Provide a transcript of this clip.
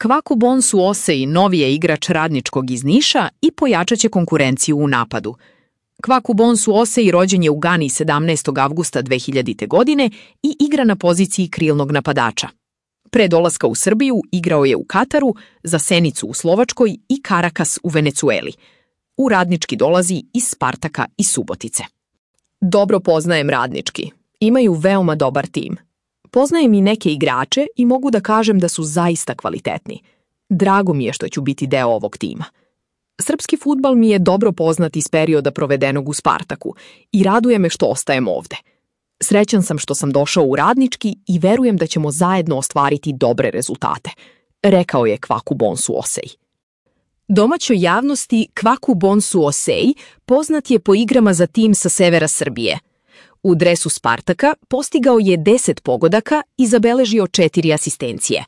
Kvaku Bonsu Osej novi je igrač Radničkog iz Niša i pojačat će konkurenciju u napadu. Kvaku Bonsu Osej rođen je u Gani 17. avgusta 2000. godine i igra na poziciji krilnog napadača. Pre dolaska u Srbiju igrao je u Kataru, za Senicu u Slovačkoj i Karakas u Venecueli. U Radnički dolazi iz Spartaka i Subotice. Dobro poznajem Radnički. Imaju veoma dobar tim. Poznajem i neke igrače i mogu da kažem da su zaista kvalitetni. Drago mi je što ću biti deo ovog tima. Srpski fudbal mi je dobro poznat iz perioda provedenog u Spartaku i raduje me što ostajem ovde. Srećan sam što sam došao u Radnički i verujem da ćemo zajedno ostvariti dobre rezultate, rekao je Kvaku Bonsu Osej. Domaćoj javnosti Kvaku Bonsu Osej poznat je po igrama za tim sa severa Srbije. U dresu Spartaka postigao je 10 pogodaka i zabeležio 4 asistencije.